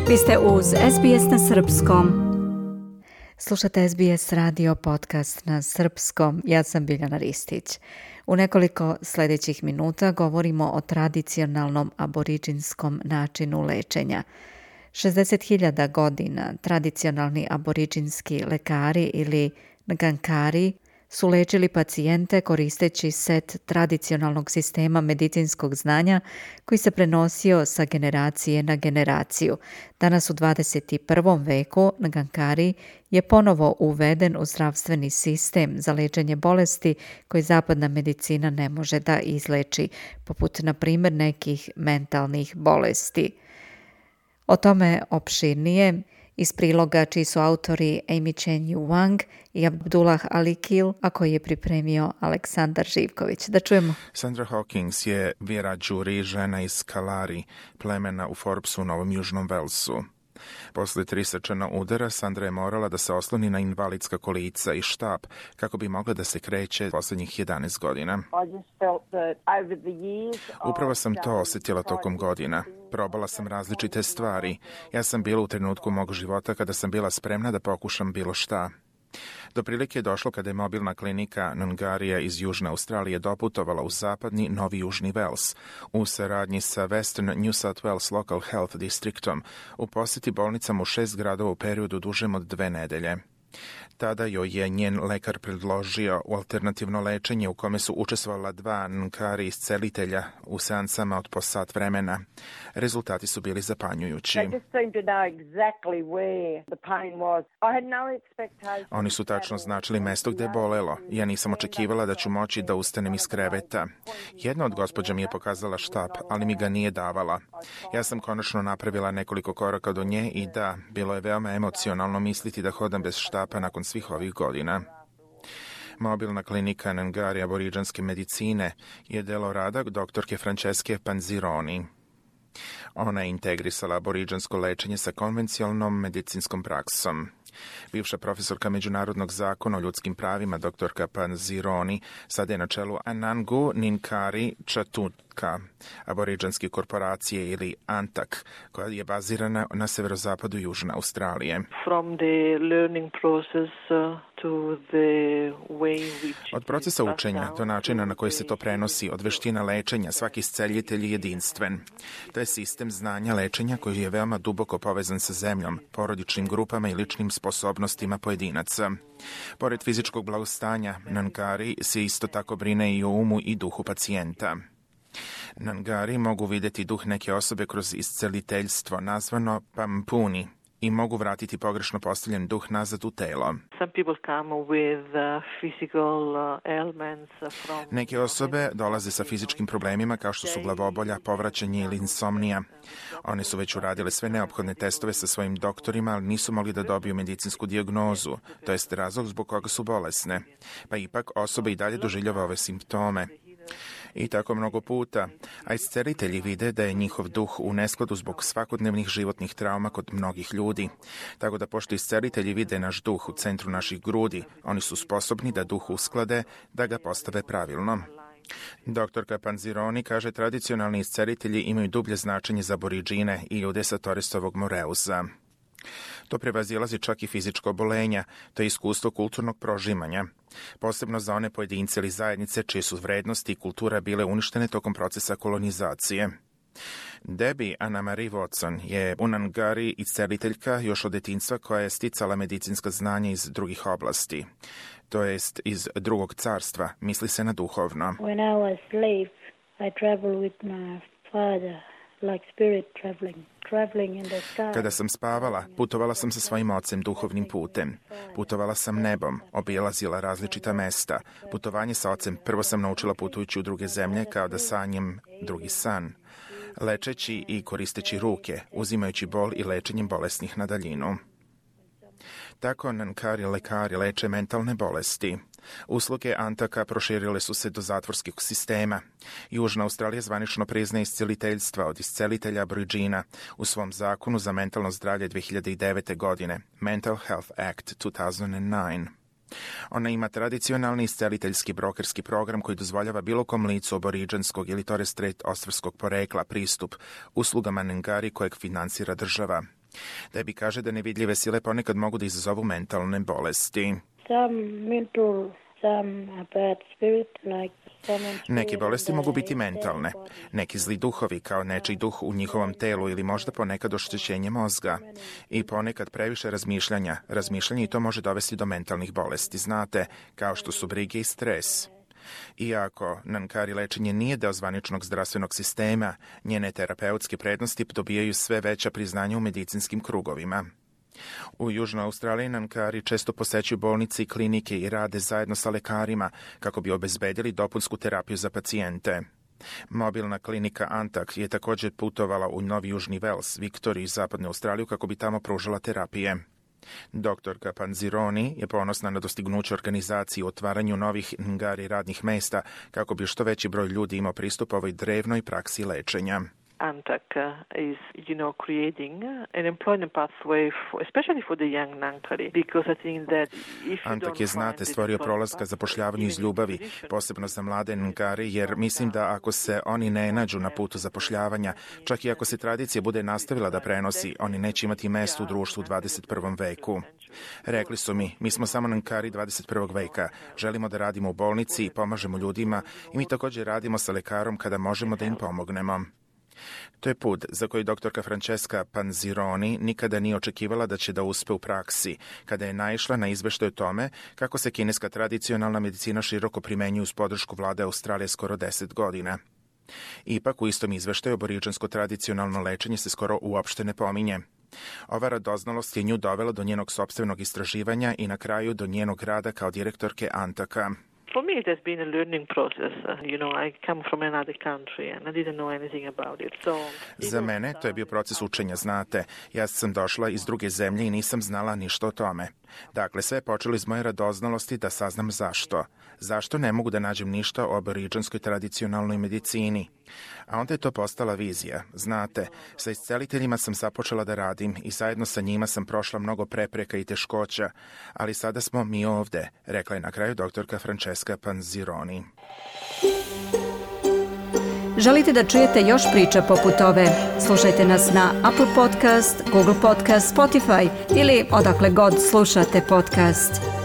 Vi ste uz SBS na Srpskom. Slušate SBS radio podcast na Srpskom. Ja sam Biljana Ristić. U nekoliko sljedećih minuta govorimo o tradicionalnom aboriđinskom načinu lečenja. 60.000 godina tradicionalni aboriđinski lekari ili Ngangkari su lečili pacijente koristeći set tradicionalnog sistema medicinskog znanja koji se prenosio sa generacije na generaciju. Danas u 21. veku Ngangkari je ponovo uveden u zdravstveni sistem za lečenje bolesti koje zapadna medicina ne može da izleči, poput na primjer nekih mentalnih bolesti. O tome opširnije iz priloga čiji su autori Amy Chen Yu Wang i Abdullah Alikil, a koji je pripremio Aleksandar Živković. Da čujemo. Sandra Hawkins je Vera Đuri, žena iz Kalari, plemena u Forbesu u Novom Južnom Velsu. Posle 3 srčana udara, Sandra je morala da se osloni na invalidska kolica i štap kako bi mogla da se kreće posljednjih 11 godina. Upravo sam to osjetila tokom godina. Probala sam različite stvari. Ja sam bila u trenutku mog života kada sam bila spremna da pokušam bilo šta. Do prilike je došlo kada je mobilna klinika Nungarija iz Južne Australije doputovala u zapadni Novi Južni Vels u saradnji sa Western New South Wales Local Health Districtom u posjeti bolnicama u 6 gradova u periodu dužem od 2 nedelje. Tada joj je njen lekar predložio alternativno lečenje u kome su učestvovala 2 Ngangkari iscelitelja u seansama od po sat vremena. Rezultati su bili zapanjujući. Oni su tačno značili mesto gde je bolelo. Ja nisam očekivala da ću moći da ustanem iz kreveta. Jedna od gospođa mi je pokazala štap, ali mi ga nije davala. Ja sam konačno napravila nekoliko koraka do nje i da, bilo je veoma emocionalno misliti da hodam bez štapa nakon svih ovih godina. Mobilna klinika Ngangkari aboriđanske medicine je delo rada doktorke Francesche Panzironi. Ona je integrisala aboriđansko lečenje sa konvencionalnom medicinskom praksom. Bivša profesorka međunarodnog zakona o ljudskim pravima doktorka Panzironi sada je na čelu Anangu Ngangkari Chatutka, aboriđanske korporacije ili ANTAK, koja je bazirana na severozapadu Južne Australije. Od procesa učenja do načina na koji se to prenosi, od veština lečenja, svaki isceljitelj je jedinstven. To je sistem znanja lečenja koji je veoma duboko povezan sa zemljom, porodičnim grupama i ličnim sposobnostima pojedinaca. Pored fizičkog blagostanja, Ngangkari se isto tako brine i o umu i duhu pacijenta. Ngangkari mogu vidjeti duh neke osobe kroz isceliteljstvo, nazvano pampuni, i mogu vratiti pogrešno postavljen duh nazad u telo. Neke osobe dolaze sa fizičkim problemima kao što su glavobolja, povraćanje ili insomnija. One su već uradile sve neophodne testove sa svojim doktorima, ali nisu mogli da dobiju medicinsku dijagnozu, to jest razlog zbog koga su bolesne. Pa ipak osoba i dalje doživljava ove simptome. I tako mnogo puta, a iscelitelji vide da je njihov duh u neskladu zbog svakodnevnih životnih trauma kod mnogih ljudi. Tako da pošto iscelitelji vide naš duh u centru naših grudi, oni su sposobni da duh usklade, da ga postave pravilno. Doktorka Panzironi kaže tradicionalni iscelitelji imaju dublje značenje za aboriđine i ljude sa Torresovog Moreusa. To prevazilazi čak i fizičko obolenja, to je iskustvo kulturnog prožimanja, posebno za one pojedince ili zajednice čije su vrednosti i kultura bile uništene tokom procesa kolonizacije. Debbie Anna Marie Watson je u Ngangkari isceliteljka još od detinjstva koja je sticala medicinska znanja iz drugih oblasti, to jest iz drugog carstva, misli se na duhovno. When I was slave, I traveled with my father. Like spirit traveling in the sky. Kada sam spavala, putovala sam sa svojim ocem duhovnim putem. Putovala sam nebom, obilazila različita mesta. Putovanje sa ocem prvo sam naučila putujući u druge zemlje kao da sanjem drugi san. Lečeći i koristeći ruke, uzimajući bol i lečenjem bolesnih na daljinu. Tako Ngangkari lekari leče mentalne bolesti. Usluge Antaka proširile su se do zatvorskog sistema. Južna Australija zvanično priznaje isceliteljstva od iscelitelja aboriđina u svom zakonu za mentalno zdravlje 2009. godine, Mental Health Act 2009. Ona ima tradicionalni isceliteljski brokerski program koji dozvoljava bilo kom licu aboriđanskog ili Torres Strait Ostrovskog porekla pristup uslugama Ngangkari kojeg finansira država. Debbie kaže da nevidljive sile ponekad mogu da izazovu mentalne bolesti. Neke bolesti mogu biti mentalne, neki zli duhovi kao nečiji duh u njihovom telu ili možda ponekad oštećenje mozga. I ponekad previše razmišljanja. Razmišljanje i to može dovesti do mentalnih bolesti, znate, kao što su brige i stres. Iako Nankari lečenje nije deo zvaničnog zdravstvenog sistema, njene terapeutske prednosti dobijaju sve veća priznanja u medicinskim krugovima. U Južnoj Australiji Nankari često posećuju bolnice i klinike i rade zajedno sa lekarima kako bi obezbedili dopunsku terapiju za pacijente. Mobilna klinika Antak je također putovala u Novi Južni Vels, Viktoriju i Zapadnu Australiju kako bi tamo pružala terapije. Doktorka Panzironi je ponosna na dostignuće organizacije u otvaranju novih Ngari radnih mesta kako bi što veći broj ljudi imao pristup ovoj drevnoj praksi lečenja. Antak is, creating an employment pathway, especially for the young Nankari, because I think that if you Antak je, znate, stvorio prolaz ka zapošljavanju iz ljubavi, posebno za mlade Nankari, jer mislim da ako se oni ne nađu na putu zapošljavanja, čak i ako se tradicija bude nastavila da prenosi, oni neće imati mesto u društvu u 21. veku. Rekli su mi smo samo Nankari 21. veka, želimo da radimo u bolnici i pomažemo ljudima i mi također radimo sa lekarom kada možemo da im pomognemo. To je put za koji doktorka Francesca Panzironi nikada nije očekivala da će da uspe u praksi, kada je naišla na izveštaj o tome kako se kineska tradicionalna medicina široko primenjuje uz podršku vlade Australije skoro 10 godina. Ipak u istom izveštaju aboriđansko tradicionalno lečenje se skoro uopšte ne pominje. Ova radoznalost je nju dovela do njenog sopstvenog istraživanja i na kraju do njenog rada kao direktorke Antaka. For me, it has been a learning process. I come from another country and I didn't know anything about it. Za mene to je bio proces učenja, znate. Ja sam došla iz druge zemlje i nisam znala ništa o tome. Dakle, sve je počelo iz moje radoznalosti da saznam zašto. Zašto ne mogu da nađem ništa o aboriđanskoj tradicionalnoj medicini? A onda je to postala vizija. Znate, sa isceliteljima sam započela da radim i zajedno sa njima sam prošla mnogo prepreka i teškoća, ali sada smo mi ovde, rekla je na kraju doktorka Francesca Panzironi. Želite da čujete još priča poput ove? Slušajte nas na Apple Podcast, Google Podcast, Spotify ili odakle god slušate podcast.